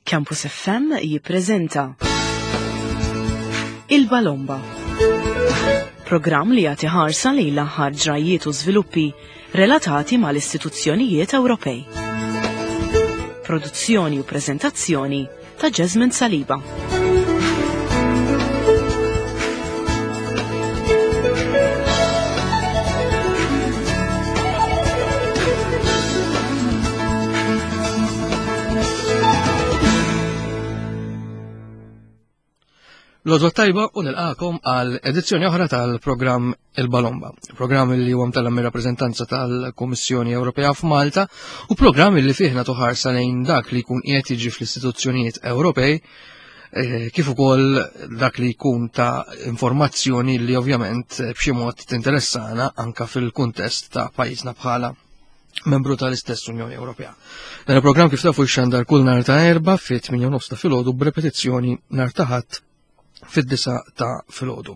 Campus FM jippreżenta Il-Balomba. Programm li jagħti ħarsa lejn l-aħħar ġrajjiet u żviluppi relatati mal-istituzzjonijiet Ewropej. Produzzjoni u preżentazzjoni ta' Jasmine Saliba. L-għodwa tajba u nilqakom għal edizzjoni oħra tal-programm Il-Balomba. Programm li huwa mtella mir-rappreżentanza tal-Kummissjoni Ewropea f'Malta u programm li fih nagħtu ħarsa lejn dak li jkun qiegħed jiġi fl-istituzzjonijiet Ewropej eh, kif ukoll dak li jkun ta' informazzjoni li ovvjament eh, b'xi mod tinteressana anka fil-kuntest ta' pajjiżna bħala membru tal-istess Unjoni Ewropea. Dan il-programm kif tafu xandar kull nar ta' erba fit 8 ta' filgħodu b'repetizzjoni nar ta' ħadd fid-disa ta' filgħodu.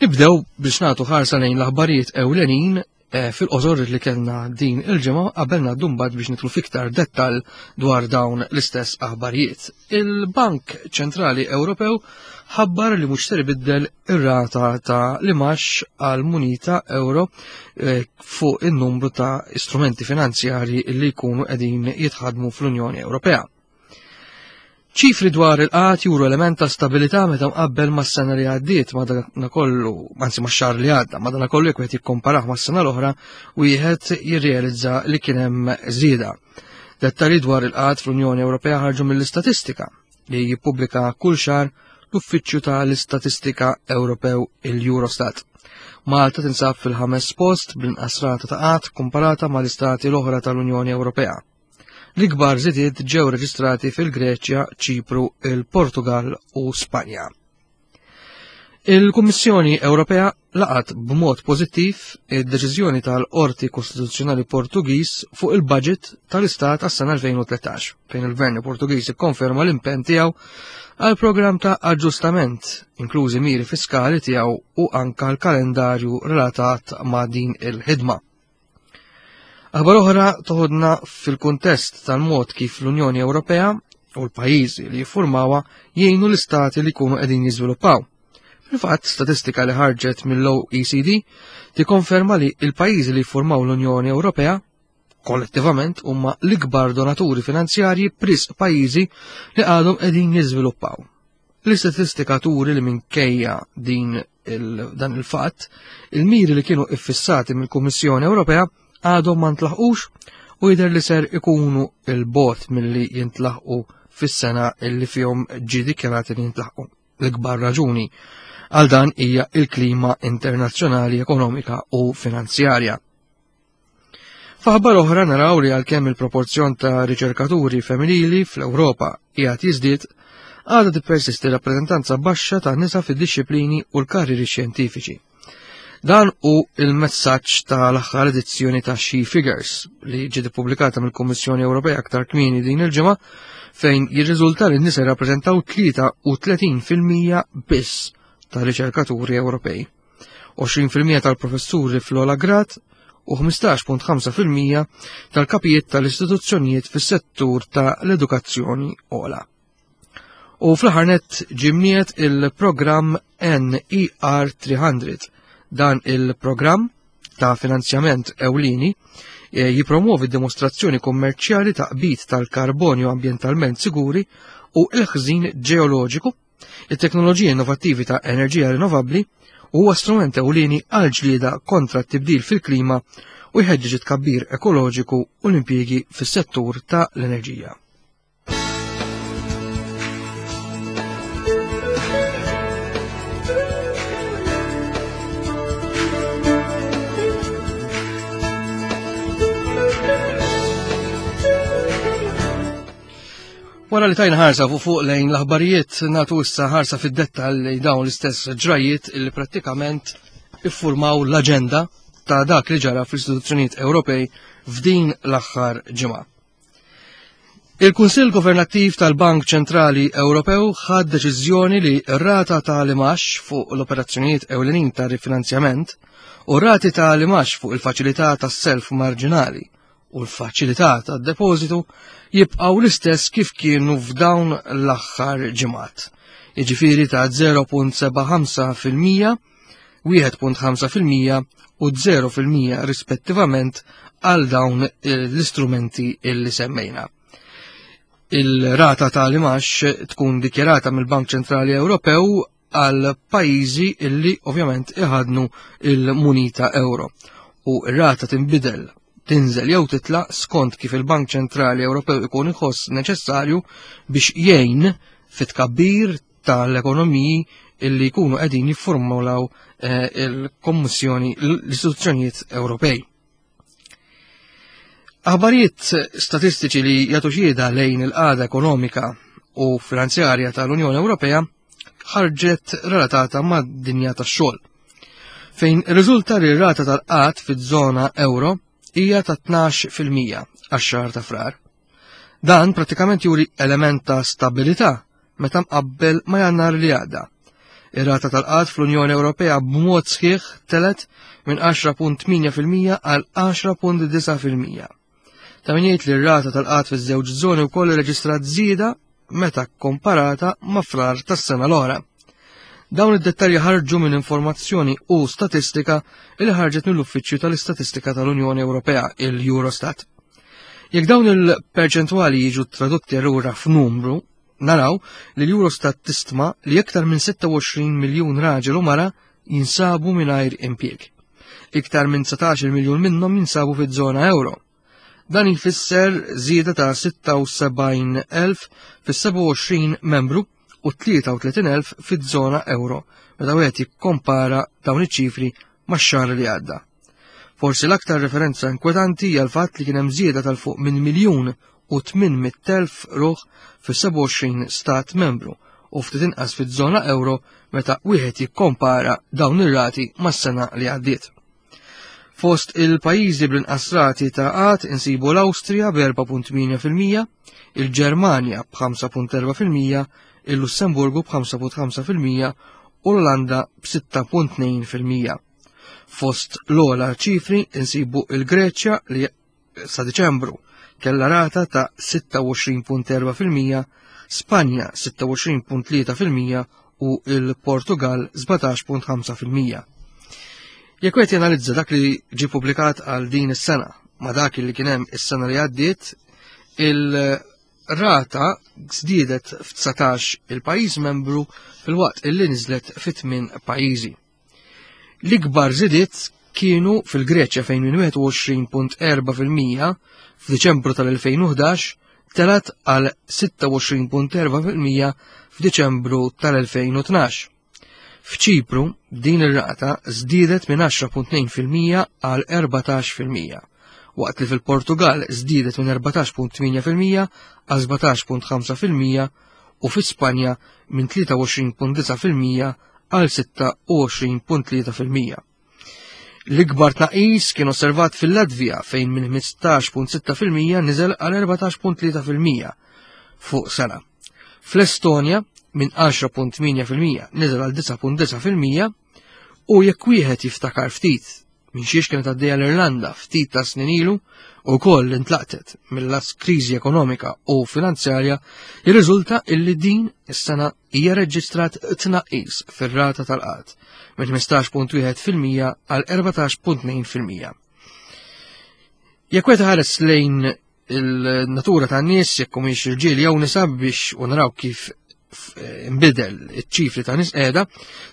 Nibdew biex nagħtu ħarsa lejn l-aħbarijiet ewlenin eh, fil-qosor li kellna din il-ġimgħa qabel ngħaddu mbagħad biex nitlu fiktar dettal dwar dawn l-istess aħbarijiet. Il-Bank Ċentrali Ewropew ħabbar li mhux ser ibiddel ir-rata ta' l-imax għal munita euro eh, fuq in-numru ta' istrumenti finanzjarji li jkunu qegħdin jitħadmu fl-Unjoni Ewropea. Ċifri dwar il-qat juru element ta' stabilità meta mqabbel mas-sena li għaddiet madanakollu, anzi max-xahar li għadda, madanakollu jekk wieħed jikkomparah mas-sena l-oħra wieħed jirrealizza li kien hemm żieda. Dettalji dwar il-qat fl-Unjoni Ewropea ħarġu mill-istatistika li jippubblika kull xahar l-Uffiċċju tal-Istatistika Ewropew il-Eurostat. Malta tinsab fil-ħames post bl-inqas rata ta' qatt komparata mal-istati l-oħra tal-Unjoni Ewropea. L-ikbar żidiet ġew reġistrati fil-Greċja, Ċipru, il-Portugal u Spanja. Il-Kummissjoni Ewropea laqat b'mod pożittiv id-deċiżjoni tal-Qorti Kostituzzjonali Portugiż fuq il-budget tal-Istat għas-sena 2013, fejn il-Gvern Portugiż ikkonferma l-impenn tiegħu għal programm ta' aġġustament, inklużi miri fiskali tiegħu u anka l-kalendarju relatat ma' din il-ħidma. Aħbar oħra toħodna fil-kuntest tal-mod kif l-Unjoni Ewropea u l-pajjiżi li jiffurmawha jgħinu l-istati li jkunu qegħdin jiżviluppaw. Fil-fatt, statistika li ħarġet mill-OECD tikkonferma li l-pajjiżi li jiffurmaw l-Unjoni Ewropea kollettivament huma l-ikbar donaturi finanzjarji b'risq pajjiżi li għadhom qegħdin jiżviluppaw. L-istatistika turi li minkejja din il dan il-fatt, il-miri li kienu iffissati mill-Kummissjoni Ewropea għadhom ma ntlaħqux u jidher li ser ikunu il-bot milli jintlaħqu fis-sena li fihom ġie dikjarati li jintlaħqu. L-ikbar raġuni għal dan hija il-klima internazzjonali ekonomika u finanzjarja. F'aħbar oħra naraw li għalkemm il-proporzjon ta' riċerkaturi femminili fl-Ewropa qiegħed jiżdied, għadha tippersisti rappreżentanza baxxa ta' nisa fid-dixxiplini u l-karriri xjentifiċi. Dan hu il-messaġġ tal-aħħar edizzjoni ta' She Figures li ġiet ippubblikata mill-Kummissjoni Ewropea aktar kmieni din il-ġimgħa fejn jirriżulta li n-nisa jirrappreżentaw 33% biss ta' riċerkaturi Ewropej. 20% tal-professuri fl-ogħla grad u 15.5% tal-kapijiet tal-istituzzjonijiet fis-settur ta' l-edukazzjoni ogħla. U fl-aħħar nett ġimniet il-programm NER 300. Dan il-programm ta' finanzjament ewlieni eh, jipromuovi dimostrazzjoni kummerċjali ta' qbit tal-karbonju ambjentalment siguri u l-ħżin ġeoloġiku It-teknoloġiji innovattivi ta' enerġija rinnovabbli huwa strument ewlieni għal ġlieda kontra t-tibdil fil-klima u jħeġġeġ it-tkabbir ekoloġiku u l-impjiegi fis-settur ta' l-enerġija. Wara li tajna ħarsa fuq fuq lejn l-aħbarijiet nagħtu issa ħarsa fid-dettall li dawn l-istess ġrajiet li prattikament iffurmaw l-aġenda ta' dak li ġara fl-istituzzjonijiet Ewropej f'din l-aħħar ġimgħa. Il-Kunsill Governattiv tal-Bank Ċentrali Ewropew ħad deċiżjoni li r-rata ta' limax fuq l-operazzjonijiet ewlenin ta' rifinanzjament u rati ta' limax fuq il-faċilità tas-self marġinali u l-faċilità tad-depożitu jibqgħu l-istess kif kienu f'dawn l-aħħar ġimgħat. Jiġifieri ta' 0.75%, 1.5% u 0% rispettivament għal dawn l-istrumenti illi semmejna. Il-rata tal-imax tkun dikjarata mill-Bank Ċentrali Ewropew għal pajjiżi illi ovvjament iħadnu il-munita euro. U r-rata tinbidel tinżel jew titla skont kif il-Bank Ċentrali Ewropew ikun iħoss neċessarju biex jgħin fit-tkabbir tal-ekonomiji illi jkunu qegħdin jiffurmulaw eh, il-Kommissjoni l-istituzzjonijiet Ewropej. Aħbarijiet statistiċi li jagħtu xhieda lejn il-qagħda ekonomika u finanzjarja tal-Unjoni Ewropea ħarġet relatata mad-dinja tax-xogħol. Fejn riżulta li r-rata tal-qgħad fiż-żona euro hija ta' 12% għax-xahar ta' frar. Dan pratikament juri element ta' stabilità meta mqabbel ma' jannar li għadda. Ir-rata tal-qgħad fl-Unjoni Ewropea b'mod sħiħ telet minn 10.8% għal 10.9%. Ta' min jgħid li r-rata tal-qgħad fiż-żewġ żoni wkoll irreġistrat żieda meta komparata ma' frar tas-sena l-oħra. Dawn id-dettalji ħarġu minn informazzjoni u statistika li ħarġet mill-Uffiċċju tal-Istatistika tal-Unjoni Ewropea, il-Eurostat. Jekk dawn il-perċentwali jiġu tradotti allura f'numru, naraw li l-Eurostat tistma li iktar minn 26 miljun raġel u mara jinsabu mingħajr impjieg. Iktar minn 19 miljun minnhom jinsabu fiż-żona euro. Dan jfisser żieda ta' 76,000 fis-27 membru u 33,000 fiż-żona euro meta wieħed jikkompara dawn iċ-ċifri max-xahar li għadda. Forsi l-aktar referenza inkwetanti hija l-fatt li kien hemm żieda tal fuq minn miljun u 800,000 ruħ fis-27 stat membru u ftit inqas fiż-żona euro meta wieħed jikkompara dawn ir-rati mas-sena li għaddiet. Fost il-pajjiżi bl-inqas rati ta' qgħad insibu l-Awstrija b'4.8%, il-Ġermanja b'5.4%, il-Lussemburgu b'5.5% u l-Olanda b'6.2%. Fost l-ogħla ċifri insibu il-Greċja li sa Diċembru kellha rata ta' 26.4%, Spanja 26.3% u il-Portugal 17.5%. Jekk qed janalizza dak li ġie publikat għal din is-sena ma dak li kien hemm is-sena li għaddiet, il-rata żdiedet f'19 il-pajjiż membru filwaqt illi niżlet fi tmien pajjiżi. L-ikbar żidiet kienu fil-Greċja fejn minn 21.4% f'Diċembru tal-2011 telat għal 26.4% f'Diċembru tal-2012. F'Ċipru din ir-rata żdiedet minn 10.2% għal 14%, waqt li fil-Portugal żdiedet minn 14.8% għal 17.5% u fi Spanja minn 23.9% għal 26.3%. L-ikbar tnaqqis kien osservat fil-Latvija fejn minn 15.6% niżel għal 14.3% fuq sena. Fl-Estonja minn 10.8% niżel għal 9.9% u jekk wieħed jiftakar ftit minn xiex kienet għaddejja l-Irlanda ftit ta' snin ilu u koll intlaqtet mill-las kriżi ekonomika u finanzjarja, jirriżulta illi din is-sena hija reġistrat tnaqqis fir-rata tal-qgħad minn 15.1% għal 14.2%. Jekk wieħed ħares lejn il-natura tan-nies jekk humiex irġiel jew nisa biex u naraw kif nbidel iċ-ċifri ta' nies qiegħda,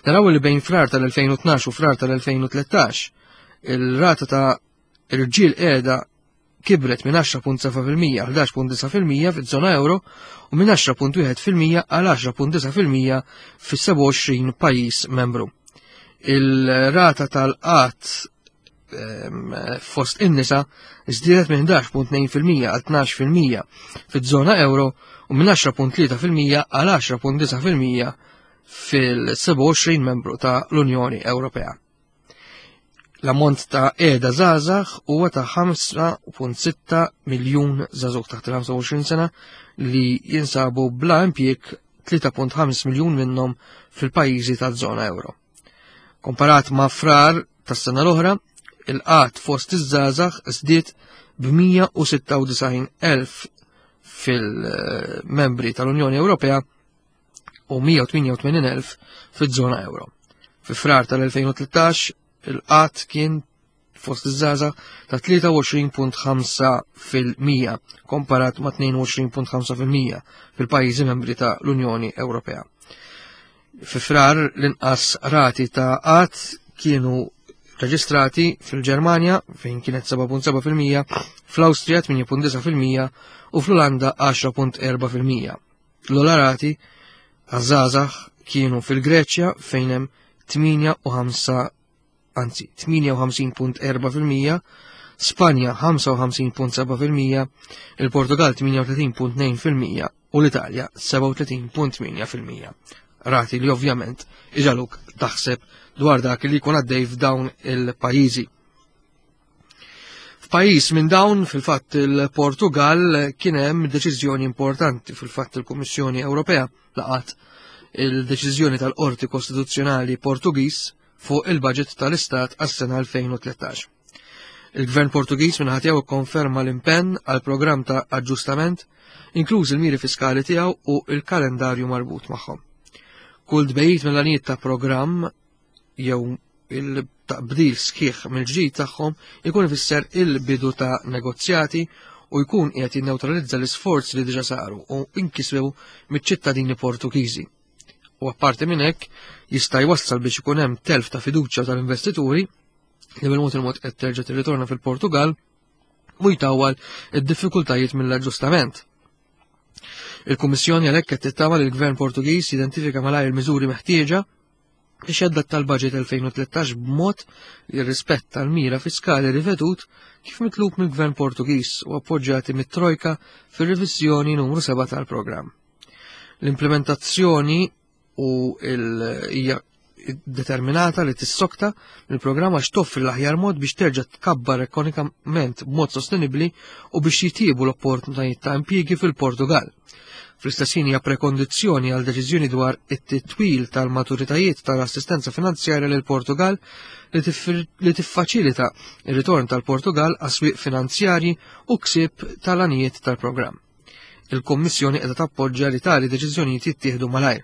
naraw li bejn frar tal-2012 u frar tal-2013 il-rata ta' irġiel qiegħda kibret minn 10.7% għal 11.9% fiż-żona euro u minn 10.1% għal 10.9% fis-27 pajjiż membru. Il-rata tal-qatt fost in-nisa żdiedet minn 11.2% għal 12% fiż-żona euro u minn 10.3% għal 10.9% fil-27 membru ta' l-Unjoni Ewropea. L-ammont ta' qiegħda żgħażagħ huwa ta' 5.6 miljun żagħżugħ taħt il-25 sena li jinsabu bla impjieg 3.5 miljun minnhom fil-pajjiżi taż-żona euro. Komparat ma' frar tas-sena l-oħra, il-qgħad fost iż-żgħażagħ żdied b'196,000 fil-membri tal-Unjoni Ewropea u 188,000 fiż-żona euro. Fi frar tal-2013 il-qat kien fost iż-żgħażagħ ta' 23.5% komparat ma' 22.5% fil-pajjiżi membri ta' l-Unjoni Ewropea. Fi frar l-inqas rati ta' qatt kienu reġistrati fil-Ġermanja fejn kienet 7.7%, fl-Awstrija 8.9% u fl-Olanda 10.4%. L-ogħla rati għaż-żgħażagħ kienu fil-Greċja fejn hemm 8.5 anzi 58.4%, Spanja 55.7%, il-Portugal 38.2% u l-Italja 37.8%. Rati li ovvjament iġaluk taħseb dwar dak li jkun għaddej f'dawn il-pajjiżi. F'pajjiż minn dawn, fil-fatt il-Portugal, kien hemm deċiżjoni importanti fil-fatt il-Kummissjoni Ewropea laqat il-deċiżjoni tal-Qorti Kostituzzjonali Portugiż fuq il-budget tal-Istat għas-sena 2013. Il-Gvern Portugiż minn tiegħu kkonferma l-impenn għal programm ta' aġġustament, inkluż il-miri fiskali tiegħu u il-kalendarju marbut magħhom. Kull tbejjit mill-għanijiet ta' programm jew il-taqbdil sħiħ mill-ġdid tagħhom ikun ifisser il-bidu ta' negozjati u jkun qiegħed jinnewtralizza l-isforzi li diġà saru u inkisbew miċ-ċittadini Portugiżi. U apparti minn hekk jista' jwassal biex ikun hemm telf ta' fiduċja tal-investituri li bil-mod il-mod qed terġa' tirritorna fil-Portugal u jtawwal id-diffikultajiet mill-aġġustament. Il-Kummissjoni għalhekk qed tittama li l-Gvern Portugiż jidentifika malajr il-miżuri meħtieġa biex jadatta l-budget 2013 b'mod li jirrispetta l-mira fiskali rivedut kif mitlub mill-Gvern Portugiż u appoġġjati mit-Trojka fir-reviżjoni numru 7 tal-programm. L-implementazzjoni u hija determinata li tissokta mill-programm għax toffri l-aħjar mod biex terġa' tkabbar ekonomikament b'mod sostenibbli u biex jitjiebu l-opportunitajiet ta' impjiegi fil-Portugal. Fl-istess ħin hija prekondizzjoni għal deċiżjoni dwar it-titwil tal-maturitajiet tal-assistenza finanzjarja lil Portugal li tiffaċilita ir-ritorn tal-Portugal għas-swieq finanzjarji u ksib tal-għanijiet tal-programm. Il-Kummissjoni qiegħda tappoġġja li tali deċiżjonijiet jittieħdu malajr.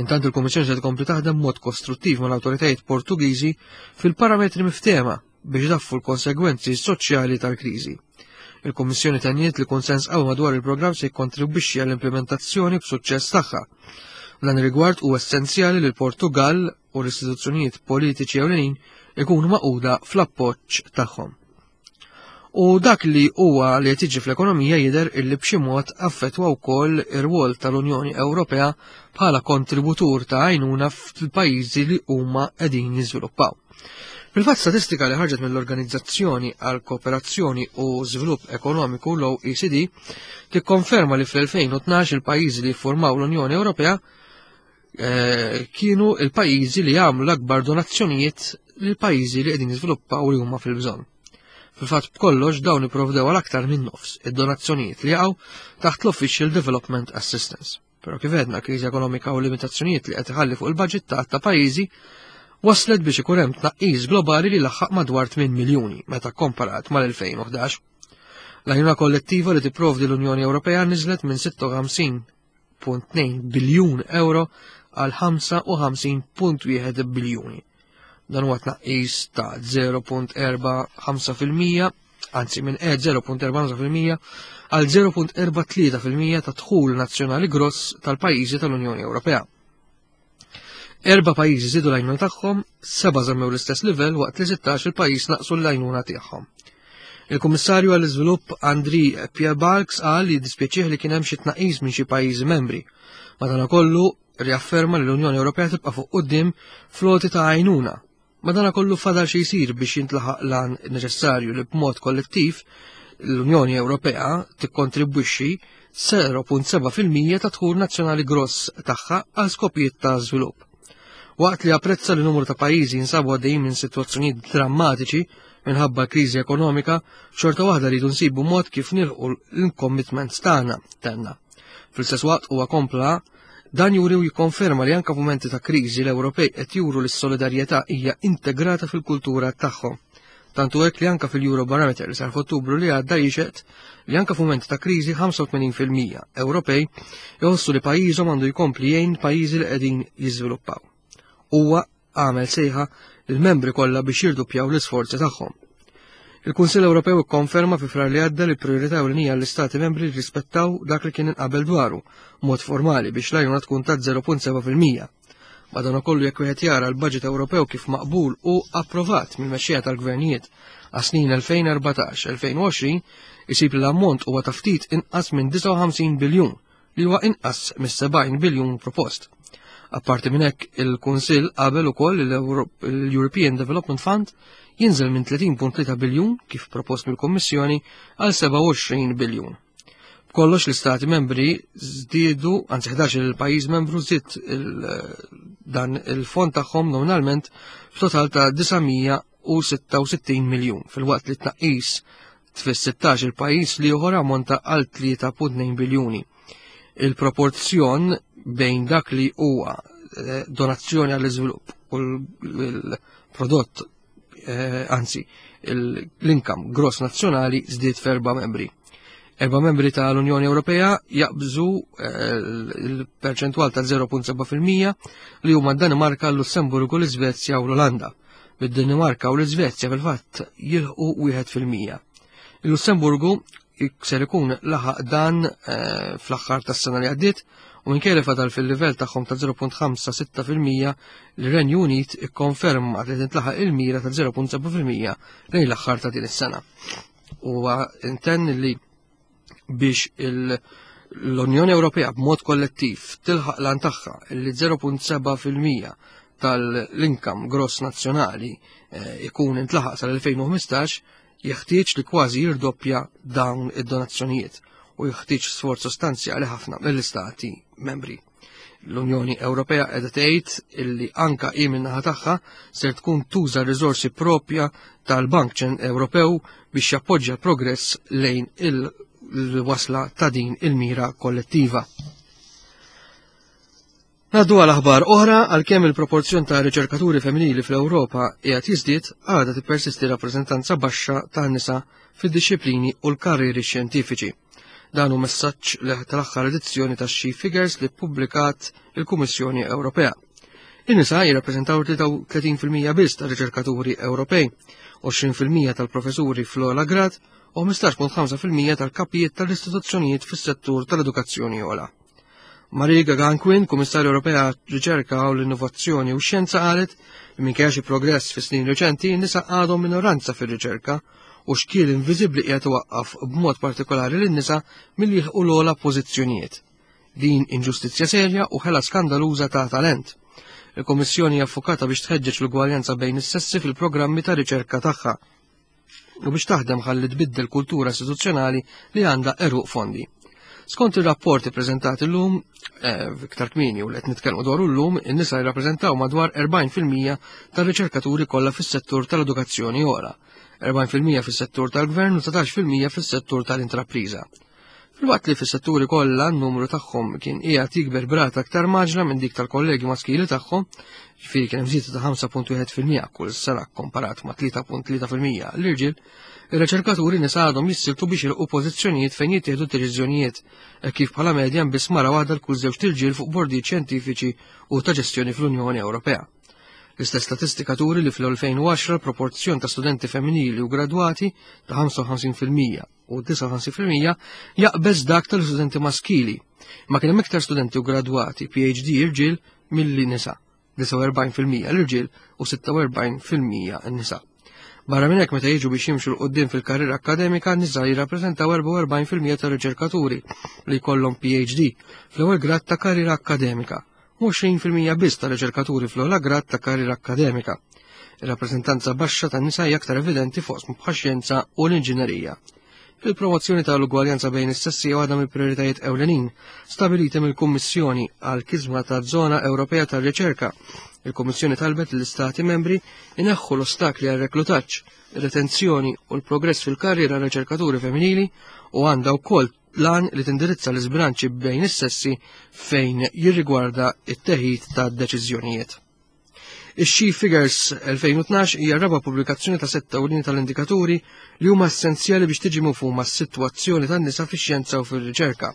Intant il-Kummissjoni se tkompli taħdem mod kostruttiv mal-awtoritajiet Portugiżi fil-parametri miftehma biex daffu l-konsegwenzi soċjali tal-kriżi. Il-Kummissjoni tenniet li konsens qawwi madwar il-programm se jikkontribwixxi għall-implementazzjoni b'suċċess tagħha. Dan ir-rigward huwa essenzjali li l-Portugal u l-istituzzjonijiet politiċi ewlenin ikunu maquda fl-appoġġ tagħhom. U dak li huwa li qed jiġi fl-ekonomija jidher illi b'xi mod affettwa wkoll ir-rwol tal-Unjoni Ewropea bħala kontributur ta' għajnuna fil-pajjiżi li huma qegħdin jiżviluppaw. Fil-fatt statistika li ħarġet mill-Organizzazzjoni għal Kooperazzjoni u Żvilupp Ekonomiku l-OECD tikkonferma li fl-2012 il-pajjiżi li jiffurmaw l-Unjoni Ewropea eh, kienu il-pajjiżi li għamlu l-akbar donazzjonijiet lil pajjiżi li qegħdin jiżviluppaw li huma fil-bżonn. Fil-fatt b'kollox dawn ipprovdew għal aktar minn nofs id-donazzjonijiet li jaqgħu taħt l-Official Development Assistance. Però kif għedna kriżi ekonomika u limitazzjonijiet li qed iħalli fuq il-budget ta' ta' pajjiżi waslet biex ikun hemm tnaqqis globali li laħħaq madwar 8 miljuni meta komparat mal-2011. L-għajnuna kollettiva li tipprovdi l-Unjoni Ewropea niżlet minn 56 1.2 biljun euro għal 55.1 biljuni. Dan huwa tnaqqis ta' 0.45% anzi minn 0.45% għal 0.43% ta' dħul nazzjonali gross tal-pajjiżi tal-Unjoni Ewropea. Erba' pajjiżi żiedu l-għajnuna tagħhom, seba' żammew l-istess livell waqt li 16 il-pajjiż naqsu l-għajnuna tagħhom. Il-Kummissarju għall-Iżvilupp Andri Piebalgs qal li dispjaċih li kien hemm xi tnaqqis minn xi pajjiżi membri. Madankollu riafferma li l-Unjoni Ewropea tibqa' fuq quddiem floti ta' għajnuna. Madankollu fadal xi jsir biex jintlaħaq lan neċessarju li b'mod kollettiv l-Unjoni Ewropea tikkontribwixxi 0.7% ta' dħul nazzjonali gross tagħha għal skopijiet ta' żvilupp. Waqt li apprezza li numru ta' pajjiżi jinsabu għaddejjin minn sitwazzjonijiet drammatiċi minħabba kriżi ekonomika, xorta waħda rridu nsibu mod kif nilħu l-commitments tagħna, tenna. Fl-istess waqt huwa kompla dan juri u jikkonferma li anka f'mumenti ta' kriżi l-Ewropej qed juru li s-solidarjetà hija integrata fil-kultura tagħhom. Tant hu hekk li anka fil-Eurobarometer li sar f'Ottubru li għadda jixhed li anka f'mument ta' kriżi 85% Ewropej jħossu li pajjiżhom għandu jkompli jgħin pajjiżi li qegħdin jiżviluppaw. Huwa għamel sejħa lill-membri kollha biex jirduppjaw l-isforzi tagħhom. Il-Kunsill Ewropew ikkonferma fi frar li għadda li priorità ewlenija l-Istati membri rispettaw dak li kien inqabel dwaru, mod formali biex l-għajnuna tkun ta' 0.7%. Madankollu jekk wieħed jara l-budget Ewropew kif maqbul u approvat mill-mexxejja tal-gvernijiet għas-snin 2014-2020, isib li l-ammont huwa ta' ftit inqas minn 59 biljun li huwa inqas mis-70 biljun propost. Apparti minn hekk, il-Kunsill qabel ukoll l-European Development Fund jinżel minn 30.3 biljun kif propost mill-Kummissjoni għal 27 biljun. B'kollox l-istati membri żdiedu, anzi 11 il-pajjiż membru żied dan il-fond tagħhom nominalment f'total ta' 966 miljun filwaqt li tnaqqis fis-16 il-pajjiż li ieħor ammonta għal 3.2 biljuni. Il-proporzjon bejn dak li huwa eh, donazzjoni għall-iżvilupp u l-prodott eh, anzi l-income gross nazzjonali żdied f'erba' membri. Erba' membri tal-Unjoni Ewropea jaqbżu eh, l-perċentwal ta' 0.7% li huma d-Danimarka, l-Lussemburgu, l-Iżvezja u l-Olanda. Bid-Danimarka u l-Iżvezja fil-fatt jilħqu 1%. Il-Lussemburgu ser ikun laħaq dan eh, fl-aħħar tas-sena li għaddiet u minkejja li fadal fil-livell tagħhom ta' 0.56% l-Renju Unit ikkonferma li tintlaħaq il-mira ta' 0.7% lejn l-aħħar ta' din is-sena. Huwa intenn li biex l-Unjoni Ewropea b'mod kollettiv tilħaq lan tagħha li 0.7% tal-income gross nazzjonali eh, ikun intlaħaq sal-2015 jeħtieġ li kważi jirdoppja dawn id-donazzjonijiet u jeħtieġ sforz sostanzjali ħafna mill-istati membri. L-Unjoni Ewropea qiegħda tgħid illi anka hi min-naħa tagħha ser tkun tuża r-riżorsi propja tal-Bank Ewropew biex jappoġġja l-progress lejn il-wasla ta' din il-mira kollettiva. Naddu għal aħbar oħra għalkemm il-proporzjon ta' riċerkaturi femminili fl-Ewropa qiegħed jiżdied, għadha tippersisti rappreżentanza baxxa ta' nisa fid-dixxiplini u l-karrieri xjentifiċi. Dan hu messaġġ li tal-aħħar edizzjoni ta' She Figures li ppubblikat il-Kummissjoni Ewropea. In-nisa jirrappreżentaw 33% biss ta' riċerkaturi Ewropej, 20% tal-professuri fl-ogħla grad u 15.5% tal-kapijiet tal-istituzzjonijiet fis-settur tal-edukazzjoni ogħla. Marie Gaganquin, Kummissarju Ewropea Riċerka u l-Innovazzjoni u Xjenza qalet li minkejja xi progress fi snin reċenti, nisa għadhom minoranza fir-riċerka u xkiel inviżibbli qiegħed iwaqqaf b'mod partikolari lin-nisa milli jilħqu l-ogħla pożizzjonijiet. Din inġustizzja serja u ħela skandaluża ta' talent. Il-Kummissjoni hija ffukata biex tħeġġeġ l-ugwaljanza bejn is-sessi fil-programmi ta' riċerka tagħha u biex taħdem ħalli tbiddel kultura istituzzjonali li għandha eruq fondi. Skont ir-rapport ippreżentat illum, eh, iktar kmieni u li qed nitkellmu dwaru llum, in-nisa jirrappreżentaw madwar 40% tar-riċerkaturi kollha fis-settur tal-edukazzjoni ora, 40% fis-settur tal-gvern u 19% fis-settur tal-intrapriża. Filwaqt li fis-setturi kollha n-numru tagħhom kien qiegħed jikber b'rata aktar maġla minn dik tal-kollegi maskili tagħhom, ġifieri kien hemm żieda ta' 5.1% kull sena komparat ma' 3.3% l-irġiel, ir-riċerkaturi nisa għadhom jissiltu biex jilqu pożizzjonijiet fejn jittieħdu deċiżjonijiet, hekk kif bħala medja biss mara waħda l kull żewġ irġiel fuq bordijiet xjentifiċi u ta' ġestjoni fl-Unjoni Ewropea. L-istess statistika turi li fl-2010 l-proporzjon ta' studenti femminili u gradwati ta' 55% u 59% jaqbeż dak tal-studenti maskili. Ma kien hemm iktar studenti u gradwati PhD irġiel milli nisa, 49% l-irġiel u 46% n-nisa. Barra minn hekk meta jiġu biex jimxu l qudiem fil-karriera akademika, nisa jirrappreżentaw 44% tar-riċerkaturi li jkollhom PhD fl-ewwel grad ta' karriera akademika u 20% biss ta' riċerkaturi fl-ogħla grad ta' karriera akkademika. Ir-rappreżentanza baxxa tan-nisa hija aktar evidenti fuq bħax-xjenza u l-inġinerija. Il-promozzjoni tal-ugwaljanza bejn is-sessi hija waħda mill-prijoritajiet ewlenin stabiliti mill-Kummissjoni għal kisma ta' żona Ewropea tar-riċerka. Il-Kummissjoni talbet l-Istati membri ineħħu l-ostakli għal reklutaġġ, ir-retenzjoni u l-progress fil-karriera riċerkaturi femminili u għandha wkoll l-għan li tindirizza l-iżbilanċi bejn is-sessi fejn jirrigwarda it-teħid ta' deċiżjonijiet. Ix-She Figures 2012 hija raba' pubblikazzjoni ta' setta ewlieni tal-indikaturi li huma essenzjali biex tiġi mifhuma s-sitwazzjoni tan-nisa fix-xjenza u fir-riċerka.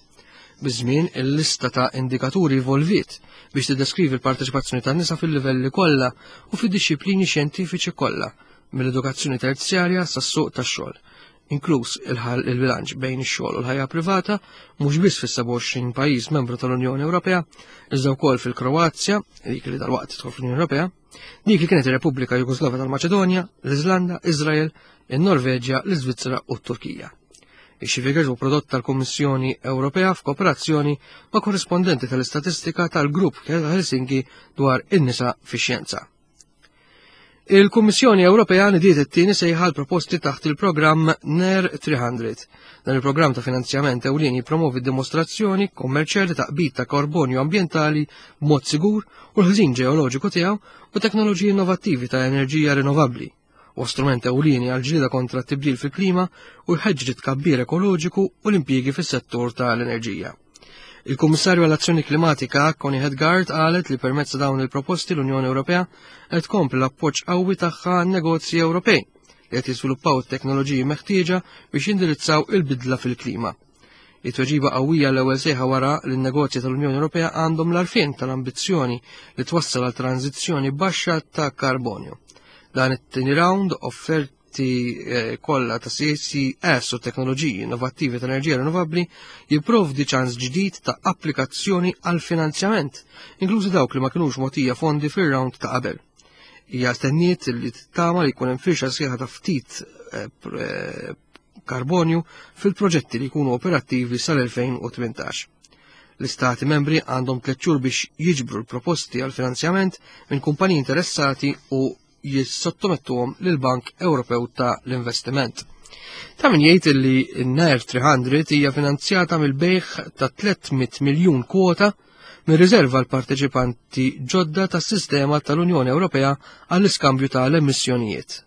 Biż-żmien, il-lista ta' indikaturi evolviet biex tiddeskrivi l-parteċipazzjoni tan-nisa fil-livelli kollha u fid-dixxiplini xjentifiċi kollha, mill-edukazzjoni terzjarja sas-suq tax-xogħol, inkluż il-bilanċ bejn ix-xogħol u l-ħajja privata, mhux biss fis-27 pajjiż membru tal-Unjoni Ewropea, iżda wkoll fil-Kroazja, dik li dalwaqt tidħol fl-Unjoni Ewropea, dik li kienet ir-Repubblika Jugoslava tal-Maċedonja, l-Iżlanda, Iżrael, in-Norveġja, l-Iżvizzera u t-Turkija. Ix-Figures hu prodott tal-Kummissjoni Ewropea f'kooperazzjoni ma' korrispondenti tal-istatistika tal-Grupp Helsinki dwar in-nisa fix-xjenza. Il-Kummissjoni Ewropea nidiet it-tieni sejħa l-proposti taħt il-programm NER 300. Dan il-programm ta' finanzjament ewlieni jippromovi dimostrazzjoni kommerċjali ta' qbid ta' karbonju ambjentali b'mod sigur u l-ħżin ġeoloġiku tiegħu u teknoloġiji innovattivi ta' enerġija rinnovabbli. Huwa strument ewlieni għall-ġlieda kontra t-tibdil fil-klima u jħeġġeġ it-tkabbir ekoloġiku u l-impjiegi fis-settur tal-enerġija. Il-Kummissarju għall-Azzjoni Klimatika Connie Hedegaard qalet li permezz ta' dawn il-proposti l-Unjoni Ewropea qed tkompli l-appoġġ qawwi tagħha għan-negozji Ewropej li qed jiżviluppaw it-teknoloġiji meħtieġa biex jindirizzaw il-bidla fil-klima. It-tweġiba qawwija l-ewwel sejħa wara li n-negozji tal-Unjoni Ewropea għandhom l-għarfien tal-ambizzjoni li twassal għal tranżizzjoni baxxa ta' karbonju. Dan it-tieni round offerti eh, kollha ta' CCS u teknoloġiji innovattivi ta' enerġija rinnovabbli jipprovdi ċans ġdid ta' applikazzjoni għal finanzjament, inklużi dawk li ma kinux mogħtija fondi fir-round ta' qabel. Hija stenniet li tama li jkun hemm firxa sħiħa ta' ftit eh, eh, karbonju fil-proġetti li jkunu operattivi sal-2018. L-istati membri għandhom tliet xhur biex jiġbru l-proposti għal finanzjament minn kumpaniji interessati u jissottomettuhom lill-Bank Ewropew ta' l-Investiment. Ta' min jgħid li n-NER 300 hija finanzjata mill-bejħ ta' 300 miljun kwota mir-riżerva l-parteċipanti ġodda tas-sistema tal-Unjoni Ewropea għall-iskambju ta' l-emissjonijiet.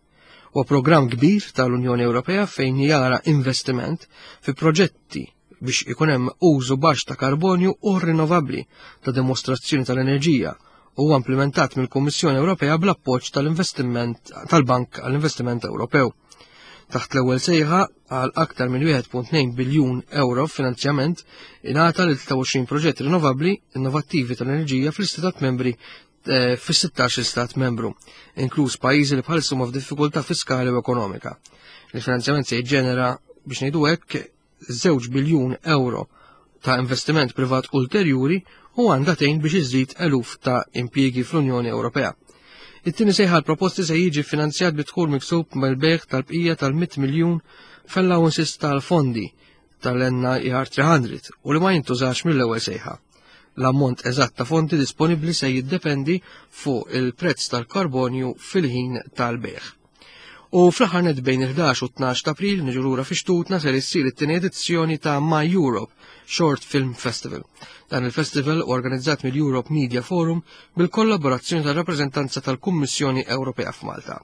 Huwa programm kbir tal-Unjoni Ewropea fejn jara investiment fi proġetti biex ikun hemm użu baxx ta' karbonju u rinnovabbli ta' dimostrazzjoni tal-enerġija u huwa implementat mill-Kummissjoni Ewropea bl-appoġġ tal-investiment tal-Bank għall-Investiment Ewropew. Taħt l-ewwel sejħa għal aktar minn 1.2 biljun euro finanzjament ingħata lil 23 proġett rinnovabbli innovattivi tal-enerġija fl-istat membri eh, fis-16 stat membru, inkluż pajjiżi li bħalissa huma f'diffikultà fiskali u ekonomika. Il-finanzjament se jiġġenera biex ngħidu hekk 2 biljun euro ta' investiment privat ulterjuri u għandha tgħin biex iżid eluf ta' impjiegi fl-Unjoni Ewropea. It-tieni sejħa l-proposti se jiġi finanzjat bi dħul miksub mill-bejgħ tal-bqija tal-100 miljun f'allowances tal-fondi tal-NIR 300 u li ma jintużax mill-ewwel sejħa. L-ammont eżatt ta' fondi disponibbli se jiddependi fuq il-prezz tal-karbonju fil-ħin tal-bejgħ. U fl-aħħar net bejn il-11 u 12 ta' April niġu lura fi xtutna ser issir it-tieni edizzjoni ta' My Europe Short Film Festival. Dan il-festival organizzat mill-Europe Media Forum bil-kollaborazzjoni tal-rappreżentanza tal-Kummissjoni Ewropea f'Malta.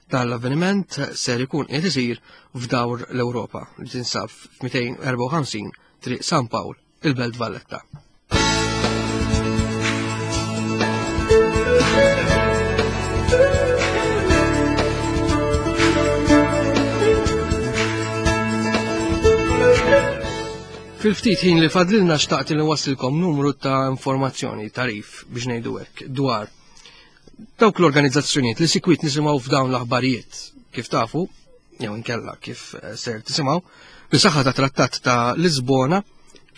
Dan l-avveniment ser ikun qed isir f'dawr l-Ewropa li tinsab f'254 Triq San Pawl, il-Belt Valletta. Fil-ftit ħin li fadlilna xtaqt li wasilkom numru ta' informazzjoni, tarif biex ngħidu hekk dwar dawk l-organizzazzjonijiet li sikwit nisimgħu f'dawn l-aħbarijiet. Kif tafu, jew inkella kif eh, ser tisimgħu, bis-saħħa ta' trattat ta' Lisbona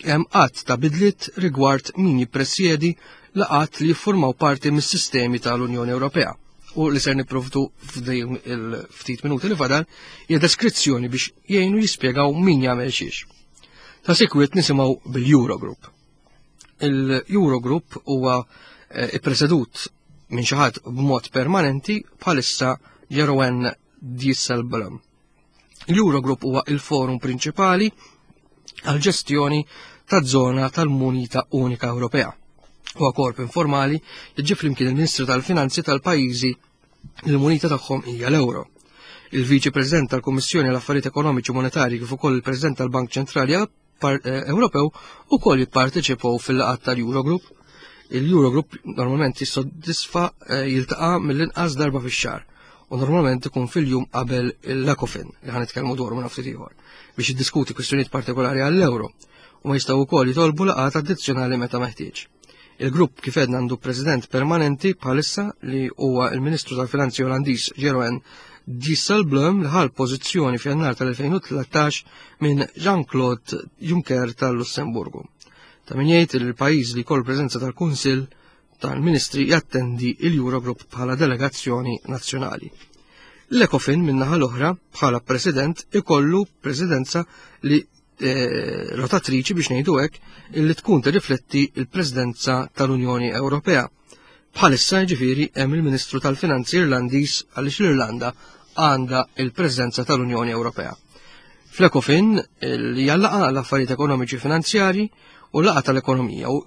hemm qatt ta' bidliet rigward min jippresjedi laqat li jiffurmaw parti mis-sistemi tal-Unjoni Ewropea u li ser nipprovdu f'dejn il-ftit minuti li fadal hija deskrizzjoni biex jgħinu jispjegaw min jagħmel xiex. Ta' sikwit nisimgħu bil-Eurogroup. Il-Eurogroup huwa eh, ippresedut minn xi ħadd b'mod permanenti bħalissa Jeroen Dijsselbloem. L-Eurogroup huwa il-forum prinċipali għal-ġestjoni taż-żona tal-Munita Unika Ewropea. Huwa korp informali li ġie flimkien il-Ministru tal-Finanzi tal-pajjiżi li l-munita tagħhom hija l-euro. Il-Viċi President tal-Kummissjoni għall-Affarijiet Ekonomiċi u Monetarji kif ukoll il-President tal-Bank Ċentrali eh, Ewropew ukoll jipparteċipaw fil-laqgħat tal-Eurogroup. Il-Eurogroup normalment jissodisfa eh, jiltaqa' mill-inqas darba fix-xahar u normalment ikun fil-jum qabel l-Ecofin li ħan nitkellmu dwaru minn ftit ieħor biex jiddiskuti kwistjonijiet partikolari għall-euro u ma jistgħu wkoll jitolbu laqgħat addizzjonali meta meħtieġ. Il-grupp kif għedna għandu president permanenti bħalissa li huwa il-Ministru tal-Finanzi Olandiż Jeroen Dijsselbloem li ħal pożizzjoni f'Jannar tal-2013 minn Jean-Claude Juncker tal-Lussemburgu. Ta' min jgħid li l-pajjiż li jkollu preżenza tal-Kunsill tal-Ministri jattendi il-Eurogroup bħala delegazzjoni nazzjonali. L-Ecofin min-naħa l-oħra bħala president ikollu presidenza li eh, rotatriċi biex ngħidu hekk illi tkun tirrifletti l-Presidenza tal-Unjoni Ewropea. Bħalissa jiġifieri hemm il-Ministru tal-Finanzi Irlandiż għaliex l-Irlanda għandha il-Presidenza tal-Unjoni Ewropea. Fl-Ecofin li jallaqa l-affarijiet ekonomiċi finanzjari u laqa tal-ekonomija u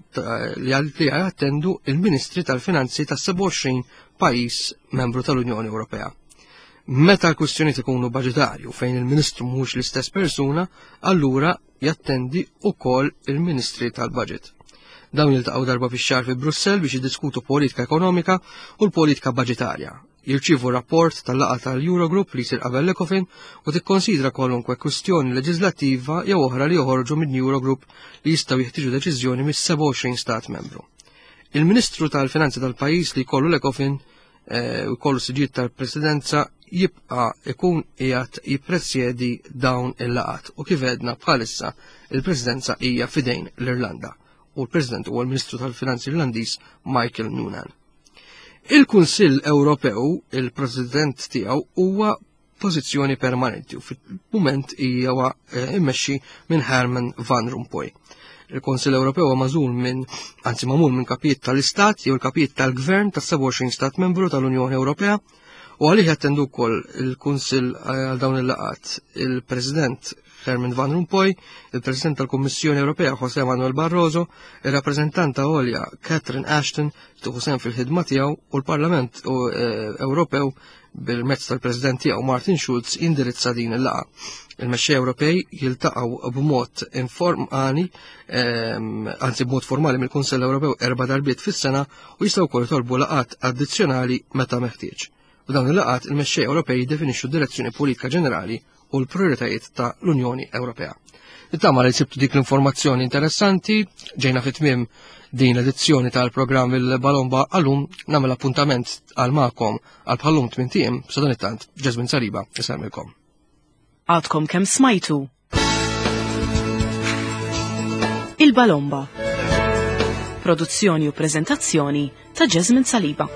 li jattendu il-Ministri tal-Finanzi tas-27 pajjiż membru tal-Unjoni Ewropea. Meta l-kwistjonijiet ikunu baġitarju fejn il-Ministru mhux l-istess persuna, allura jattendi wkoll il-Ministri tal-Budget. Dawn jiltaqgħu darba fix-xahar fi Brussell biex jiddiskutu politika ekonomika u l-politika baġitarja. Jirċievu rapport tal-laqgħa tal-Eurogroup li jsir qabel l-Ecofin u tikkonsidra kwalunkwe kwistjoni leġislattiva jew oħra li joħorġu minn Eurogroup li jistgħu jeħtieġu deċiżjoni mis-27 stat membru. Il-Ministru tal-Finanzi tal-pajjiż li jkollu l-Ecofin Eh, u jkollu siġiet tal-presidenza jibqa' ikun qiegħed jippresjedi dawn il-laqat u kif għedna bħalissa il-presidenza hija fidejn l-Irlanda u l-President huwa l-Ministru tal-Finanzi Irlandiż Michael Noonan. Il-Kunsill Ewropew, il-President tiegħu huwa pożizzjoni permanenti u fil-mument hija eh, immexxi minn Herman Van Rompuy. Il-Konsil Ewropew huwa magħżul minn anzi magħmul minn kapijiet tal-Istat jew il-kapijiet tal-Gvern tas-27 stat membru tal-Unjoni Ewropea u għalih jattendu wkoll il-Kunsill eh, għal dawn il-laqat il-President Herman Van Rompuy, il-President tal-Kummissjoni Ewropea José Manuel Barroso, il-rappreżentanta għolja Catherine Ashton tieħu sehem fil-ħidma tiegħu u l-Parlament eh, Ewropew bil-mezz tal-President tiegħu Martin Schulz jindirizza din il-laqgħa. Il-mexxej Ewropej jiltaqgħu b'mod informali, ehm, anzi b'mod formali mill-Kunsell Ewropew erba' darbiet fis-sena u jistgħu wkoll jitolbu laqgħat addizzjonali meta meħtieġ. F'dawn il-laqgħat il-mexxej Ewropej jiddefinixxu d-direzzjoni politika ġenerali u l-prioritajiet ta' l-Unjoni Ewropea. Nittama li sibtu dik l-informazzjoni interessanti, ġejna fit tmiem din l-edizzjoni tal-programm il-Balomba għallum namel appuntament għal ma'kom għal bħallum tmien tiem, sadan it-tant, Jasmine Saliba, isemmilkom. Għadkom kemm smajtu Il-Balomba. Produzzjoni u prezentazzjoni ta' Jasmine Saliba.